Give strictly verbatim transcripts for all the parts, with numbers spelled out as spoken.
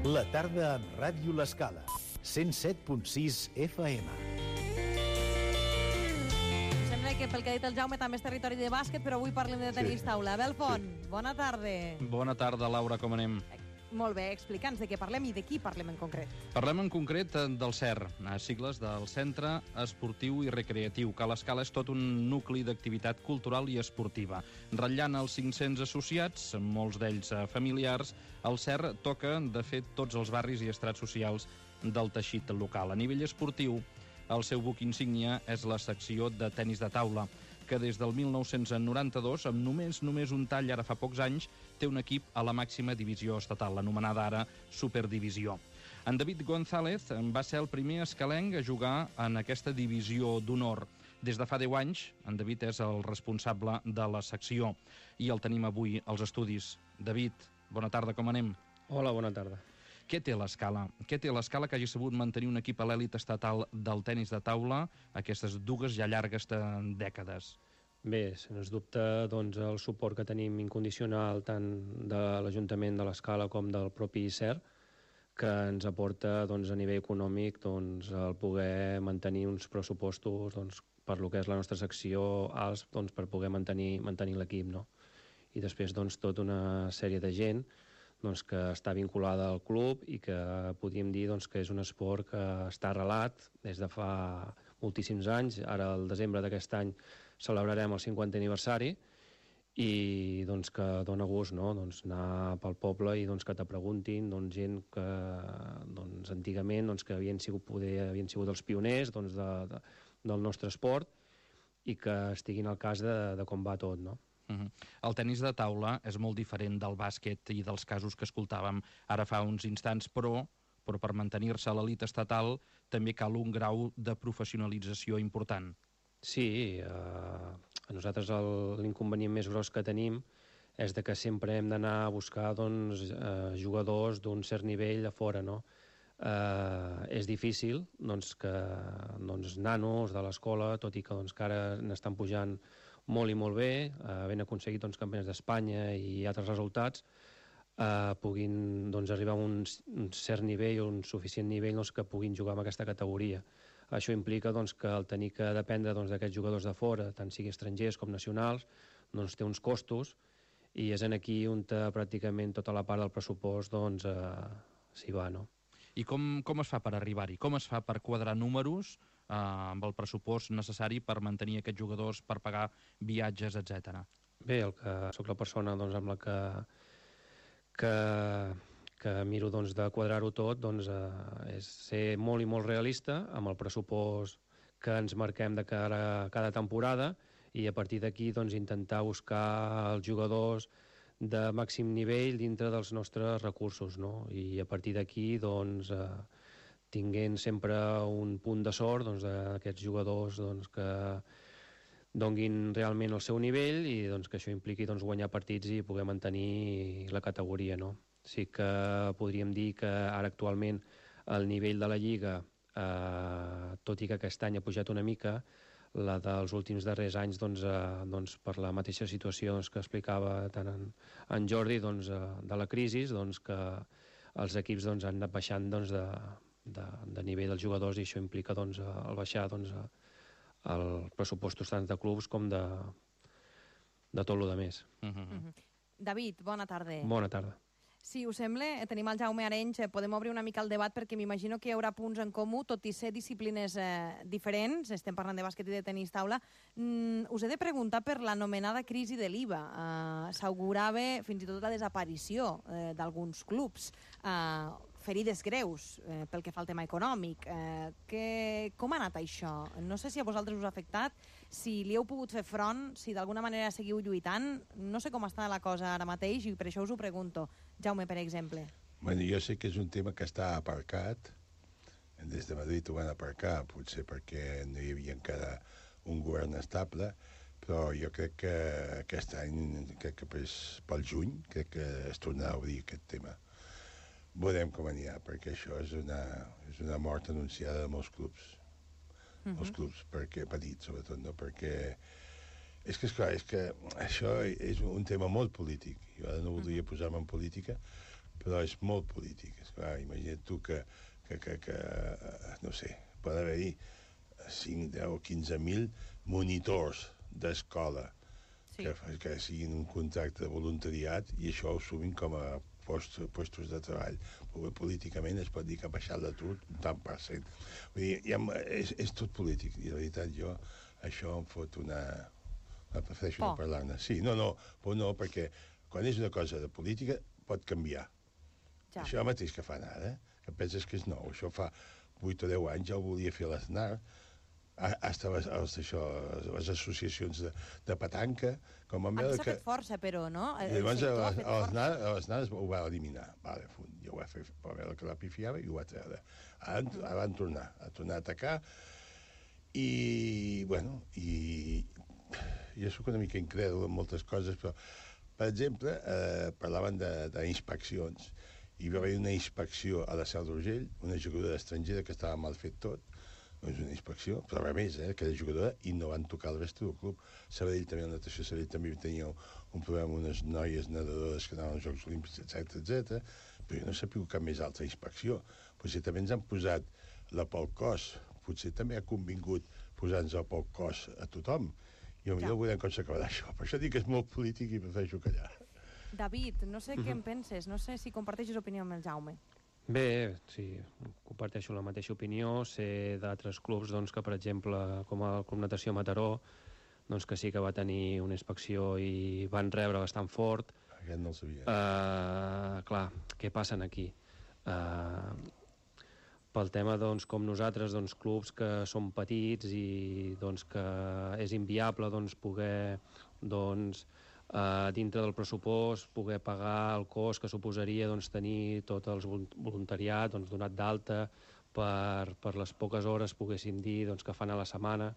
La tarda amb Ràdio L'Escala, cent set punt sis F M. Sembla que pel que ha dit el Jaume també és territori de bàsquet, però avui parlem de tenis sí. taula. Abel Font, sí. bona tarda. Bona tarda, Laura, com anem? Molt bé, explica'ns de què parlem i de qui parlem en concret. Parlem en concret del C E R, sigles del Centre Esportiu i Recreatiu, que a l'Escala és tot un nucli d'activitat cultural i esportiva. Ratllant els cinc-cents associats, molts d'ells familiars, el C E R toca, de fet, tots els barris i estrats socials del teixit local. A nivell esportiu, el seu buc insígnia és la secció de tenis de taula, que des del mil nou-cents noranta-dos, amb només només un tall ara fa pocs anys, té un equip a la màxima divisió estatal, l'anomenada ara Superdivisió. En David González va ser el primer escalenc a jugar en aquesta divisió d'honor. Des de fa deu anys, en David és el responsable de la secció i el tenim avui als estudis. David, bona tarda, com anem? Hola, bona tarda. Què té l'Escala? Què té l'Escala que hagi sabut mantenir un equip a l'èlit estatal del tenis de taula aquestes dues ja llargues dècades? Bé, sens dubte, doncs, el suport que tenim incondicional tant de l'Ajuntament de l'Escala com del propi C E R, que ens aporta doncs, a nivell econòmic doncs, el poder mantenir uns pressupostos doncs, per lo que és la nostra secció alts doncs, per poder mantenir, mantenir l'equip, no? I després doncs, tota una sèrie de gent doncs, que està vinculada al club i que podríem dir doncs, que és un esport que està arrelat des de fa moltíssims anys. Ara, al desembre d'aquest any, celebrarem el cinquantè aniversari i doncs, que dona gust, no? doncs, anar pel poble i doncs, que te preguntin doncs, gent que doncs, antigament doncs, que havien sigut, poder, havien sigut els pioners doncs, de, de, del nostre esport i que estiguin al cas de, de com va tot, no? Uh-huh. El tenis de taula és molt diferent del bàsquet i dels casos que escoltàvem ara fa uns instants, però, però per mantenir-se a l'elit estatal també cal un grau de professionalització important. Sí, eh, a nosaltres l'inconvenient més gros que tenim és de que sempre hem d'anar a buscar doncs, eh, jugadors d'un cert nivell a fora, no? Eh, és difícil doncs, que doncs, nanos de l'escola, tot i que, doncs, que ara n'estan pujant molt i molt bé, eh, havent aconseguit doncs, campionats d'Espanya i altres resultats, eh, puguin doncs, arribar a un, un cert nivell o un suficient nivell doncs, que puguin jugar en aquesta categoria. Això implica doncs, que el tenir que dependre doncs, d'aquests jugadors de fora, tant sigui estrangers com nacionals, doncs, té uns costos i és en aquí on pràcticament tota la part del pressupost doncs, eh, s'hi va, no? I com, com es fa per arribar-hi? Com es fa per quadrar números eh, amb el pressupost necessari per mantenir aquests jugadors, per pagar viatges, etcètera? Bé, el que sóc la persona doncs, amb la que, que, que miro doncs, de quadrar-ho tot doncs, eh, és ser molt i molt realista amb el pressupost que ens marquem de cara a cada temporada i a partir d'aquí doncs, intentar buscar els jugadors de màxim nivell dintre dels nostres recursos, no? I a partir d'aquí doncs, eh, tinguent sempre un punt de sort doncs, d'aquests jugadors doncs, que donguin realment el seu nivell i doncs, que això impliqui doncs, guanyar partits i poder mantenir la categoria, no? Sí que podríem dir que ara actualment el nivell de la Lliga, eh, tot i que aquest any ha pujat una mica, la dels últims darrers anys doncs, eh, doncs, per la mateixa situació doncs, que explicava tant en, en Jordi doncs, eh, de la crisi, doncs, que els equips doncs, han anat baixant doncs, de, de, de nivell dels jugadors i això implica doncs, el baixar doncs, els pressupostos tant de clubs com de, de tot el que més. Uh -huh. Uh -huh. David, bona tarda. Bona tarda. Si us sembla, tenim el Jaume Arenys, podem obrir una mica el debat perquè m'imagino que hi haurà punts en comú, tot i ser disciplines eh, diferents, estem parlant de bàsquet i de tenis taula. Mm, us he de preguntar per l'anomenada crisi de l'I V A. Uh, S'augurava fins i tot la desaparició eh, d'alguns clubs, uh, ferides greus eh, pel que fa al tema econòmic. Eh, que, com ha anat això? No sé si a vosaltres us ha afectat, si li heu pogut fer front, si d'alguna manera seguiu lluitant. No sé com està la cosa ara mateix i per això us ho pregunto. Jaume, per exemple. Bueno, jo sé que és un tema que està aparcat. Des de Madrid ho van aparcar, potser perquè no hi havia encara un govern estable, però jo crec que aquest any, crec que pel juny, crec que es tornarà a obrir aquest tema. Veurem com anirà, perquè això és una, és una mort anunciada de molts clubs. Uh -huh. Molts clubs, perquè petits, sobretot, no? Perquè és que, esclar, és que això és un tema molt polític. Jo ara no voldria posar-me en política, però és molt polític. Esclar, imagina't tu que, que, que, que no sé, pot haver-hi cinc, deu, quinze mil monitors d'escola Sí. que, que siguin un contracte de voluntariat i això ho sumin com a post, postos de treball. Però políticament es pot dir que ha baixat l'atur un tant per cent. Vull dir, ja, és, és tot polític, i la veritat jo això em fot una... prefereixo no parlar-ne. Sí, no, no, però no, perquè quan és una cosa de política pot canviar. Ja. Això mateix que fan ara, que penses que és nou. Això fa vuit o deu anys ja ho volia fer l'Aznar, hasta les, les, això, les associacions de, de petanca, com a Aquí s'ha fet força, però, no? I llavors l'Aznar ho va eliminar. Vale, jo ho va fer per veure que la pifiava i ho va treure. Ara, ara van tornar, a tornar a atacar i, bueno, i jo soc una mica incrèdul en moltes coses, però, per exemple, eh, parlaven d'inspeccions. Hi va haver una inspecció a la Seu d'Urgell, una jugadora estrangera que estava mal fet tot, és una inspecció, però a més, eh, que era jugadora i no van tocar el resto del club. Sabadell també, la natació Sabadell també tenia un problema amb unes noies nedadores que anaven als Jocs Olímpics, etcètera, etcètera, però jo no sabia cap més altra inspecció. Potser també ens han posat la pel cos, potser també ha convingut posar-nos el pel cos a tothom. I potser ja veurem com s'acabarà això. Per això dic que és molt polític i prefereixo callar. David, no sé mm-hmm. què en penses, no sé si comparteixes opinió amb el Jaume. Bé, sí, comparteixo la mateixa opinió. Sé d'altres clubs doncs, que, per exemple, com el Club Natació Mataró, doncs, que sí que va tenir una inspecció i van rebre bastant fort. Aquest no el sabia. Uh, clar, què passa aquí? Uh, pel tema, doncs, com nosaltres, doncs, clubs que són petits i doncs, que és inviable doncs, poder doncs, Uh, dintre del pressupost poder pagar el cost que suposaria doncs, tenir tot el voluntariat doncs, donat d'alta per, per les poques hores poguéssim dir doncs, que fan a la setmana.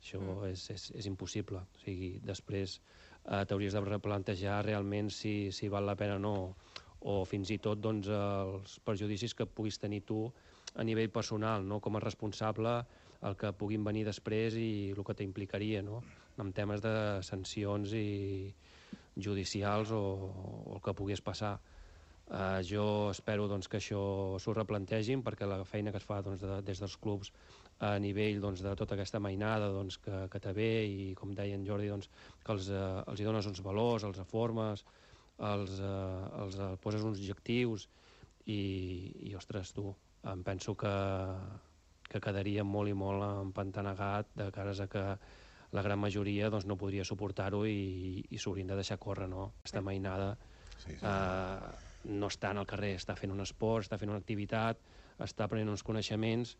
Això mm. és, és, és impossible. O sigui, després uh, t'hauries de replantejar realment si, si val la pena o no, o fins i tot doncs, els perjudicis que puguis tenir tu a nivell personal, no? Com a responsable, el que puguin venir després i el que t'implicaria, no? En temes de sancions i judicials o, o el que pogués passar. Uh, jo espero doncs, que això s'ho replantegin, perquè la feina que es fa doncs, de, des dels clubs a nivell doncs, de tota aquesta mainada doncs, que, que té bé, i com deia en Jordi, doncs, que els, uh, els hi dones uns valors, els reformes, els, uh, els uh, poses uns objectius i, i ostres, tu, em penso que, que quedaria molt i molt empantanegat de cares a que la gran majoria doncs, no podria suportar-ho i, i s'haurien de deixar córrer, no? Aquesta mainada sí, sí. Eh, no està en el carrer, està fent un esport, està fent una activitat, està prenent uns coneixements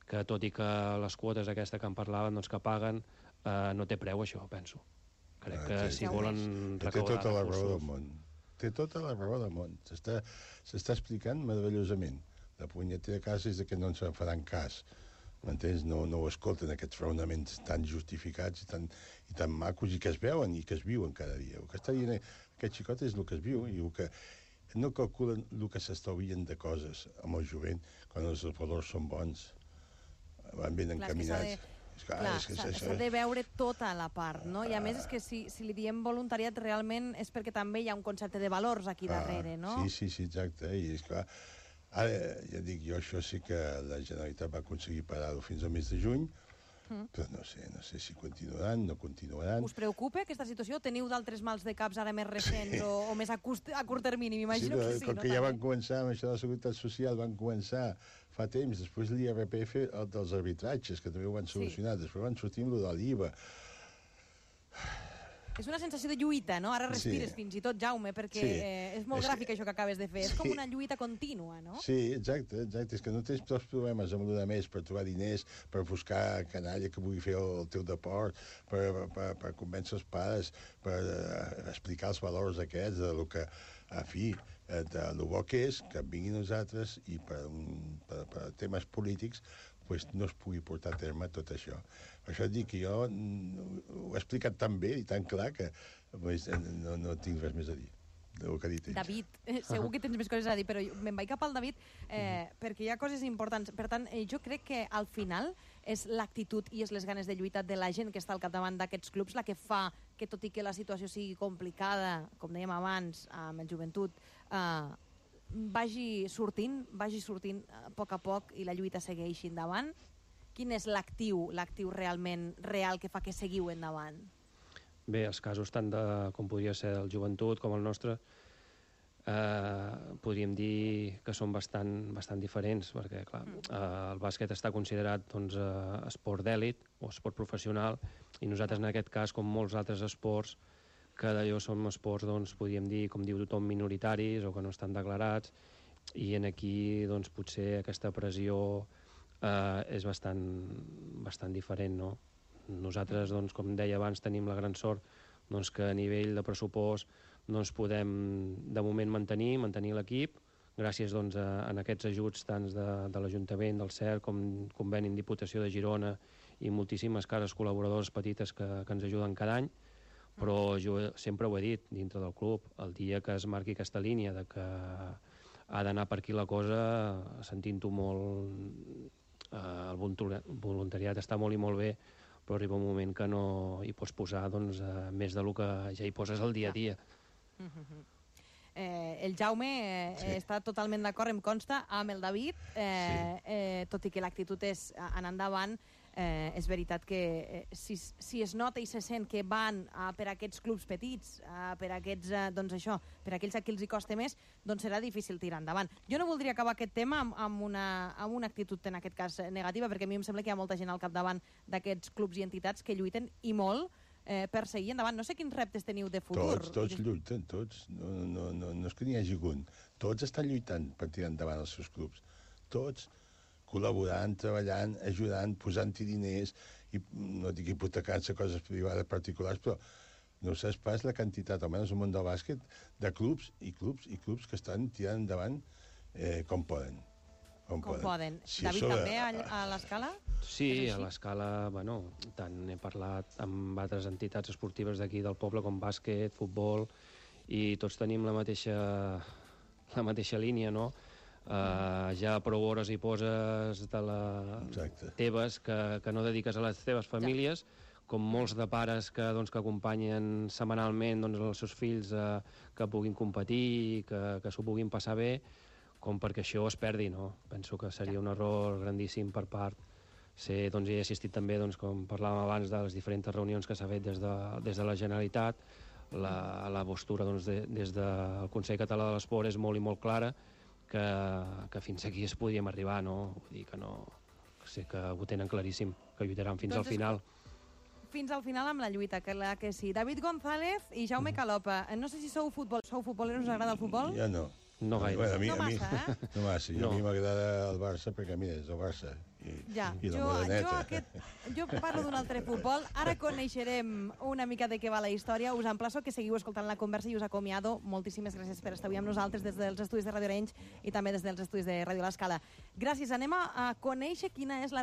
que, tot i que les quotes aquesta que en parlaven, doncs, que paguen, eh, no té preu, això, penso. Crec que ah, si volen recaudar té tota la raó del món. Té tota la raó del món. S'està explicant meravellosament. La punyetera casa és que no ens en faran cas. M'entens? No, no ho escolten, aquests raonaments tan justificats i tan, i tan macos i que es veuen i que es viuen cada dia. El que està dient aquest xicot és el que es viu i el que no calculen el que s'estalvien de coses amb el jovent quan els valors són bons, van ben encaminats. S'ha de veure tota la part, no? I a més és que si, si li diem voluntariat realment és perquè també hi ha un concepte de valors aquí darrere, no? Sí, sí, sí, exacte. I és clar, ara, ja dic, jo això sí que la Generalitat va aconseguir parar-ho fins al mes de juny, mm. però no sé, no sé si continuaran, no continuaran. Us preocupa aquesta situació? Teniu d'altres mals de caps ara més recents sí. o, o més a, cust, a curt termini? M'imagino sí, que sí, com no? que ja van començar amb això de la Seguretat Social, van començar fa temps, després l'I R P F, el dels arbitratges, que també ho van solucionar, sí. després van sortir amb el de l'I V A. És una sensació de lluita, no? Ara respires sí. fins i tot, Jaume, perquè sí. eh, és molt és gràfic que... això que acabes de fer. Sí. És com una lluita contínua, no? Sí, exacte, exacte. És que no tens tots problemes amb l'una més per trobar diners, per buscar canalla que vulgui fer el, el teu deport, per, per, per convèncer els pares, per uh, explicar els valors aquests, de lo que, a fi, de lo bo que és, que vinguin nosaltres i per, un, per, per temes polítics pues, no es pugui portar a terme tot això. Per això dic que jo ho he explicat tan bé i tan clar que pues, no, no tinc res més a dir del que ha dit ell. David, eh, segur que tens més coses a dir, però me'n vaig cap al David eh, mm. perquè hi ha coses importants. Per tant, eh, jo crec que al final és l'actitud i és les ganes de lluitar de la gent que està al capdavant d'aquests clubs la que fa que, tot i que la situació sigui complicada, com dèiem abans, amb el joventut, eh, vagi sortint, vagi sortint a poc a poc i la lluita segueixi endavant? Quin és l'actiu, l'actiu realment real que fa que seguiu endavant? Bé, els casos tant de, com podria ser el joventut com el nostre, eh, podríem dir que són bastant, bastant diferents, perquè clar, eh, el bàsquet està considerat doncs, eh, esport d'èlit o esport professional, i nosaltres en aquest cas, com molts altres esports, que d'allò som esports, doncs, podríem dir, com diu tothom, minoritaris o que no estan declarats, i en aquí doncs, potser aquesta pressió eh, és bastant, bastant diferent, no? Nosaltres, doncs, com deia abans, tenim la gran sort doncs, que a nivell de pressupost doncs, podem, de moment, mantenir mantenir l'equip, gràcies doncs, a, a aquests ajuts tant de, de l'Ajuntament, del C E R, com conveni amb Diputació de Girona i moltíssimes cares col·laboradors petites que, que ens ajuden cada any, però jo sempre ho he dit dintre del club, el dia que es marqui aquesta línia de que ha d'anar per aquí la cosa, sentint-ho molt, eh, el voluntariat està molt i molt bé, però arriba un moment que no hi pots posar doncs, eh, més del que ja hi poses el dia a dia. Mm-hmm. eh, el Jaume eh, sí. està totalment d'acord, em consta, amb el David, eh, sí. eh, tot i que l'actitud és anar endavant, eh, és veritat que eh, si, si es nota i se sent que van a, per aquests clubs petits, a, per aquests, eh, doncs això, per aquells a qui els hi costa més, doncs serà difícil tirar endavant. Jo no voldria acabar aquest tema amb, amb, una, amb una actitud, en aquest cas, negativa, perquè a mi em sembla que hi ha molta gent al capdavant d'aquests clubs i entitats que lluiten i molt eh, per seguir endavant. No sé quins reptes teniu de futur. Tots, tots lluiten, tots. No, no, no, no és que n'hi hagi un. Tots estan lluitant per tirar endavant els seus clubs. Tots col·laborant, treballant, ajudant, posant-hi diners, i no dic hipotecant-se coses privades particulars, però no saps pas la quantitat, almenys al món del bàsquet, de clubs i clubs i clubs que estan tirant endavant eh, com poden. Com, com poden. poden. Si David, això... també a, a l'Escala? Sí, a l'Escala, bueno, tant he parlat amb altres entitats esportives d'aquí del poble com bàsquet, futbol, i tots tenim la mateixa, la mateixa línia, no? Uh, ja prou hores hi poses de la... Exacte. teves que, que no dediques a les teves famílies, ja. Com molts de pares que, doncs, que acompanyen setmanalment doncs, els seus fills uh, que puguin competir, que, que s'ho puguin passar bé, com perquè això es perdi, no? Penso que seria un error grandíssim per part. Sé, doncs, he assistit també, doncs, com parlàvem abans, de les diferents reunions que s'ha fet des de, des de la Generalitat. La, la postura doncs, de, des del Consell Català de l'Esport és molt i molt clara, que, que fins aquí es podíem arribar, no? Vull dir que no... Sé que ho tenen claríssim, que lluitaran fins doncs al final. Fins al final amb la lluita, que la que sí. David González i Jaume Calopa. No sé si sou futbol, sou futboleros, us agrada el futbol? Ja no. No gaire. Bueno, a mi, no massa, a mi, eh? No massa. No. A mi m'agrada el Barça perquè, mira, és el Barça. I, ja, i la jo, moreneta. jo, aquest, jo parlo d'un altre futbol. Ara coneixerem una mica de què va la història. Us emplaço que seguiu escoltant la conversa i us acomiado. Moltíssimes gràcies per estar avui amb nosaltres des dels estudis de Ràdio Arenys i també des dels estudis de Ràdio L'Escala. Gràcies. Anem a, a conèixer quina és la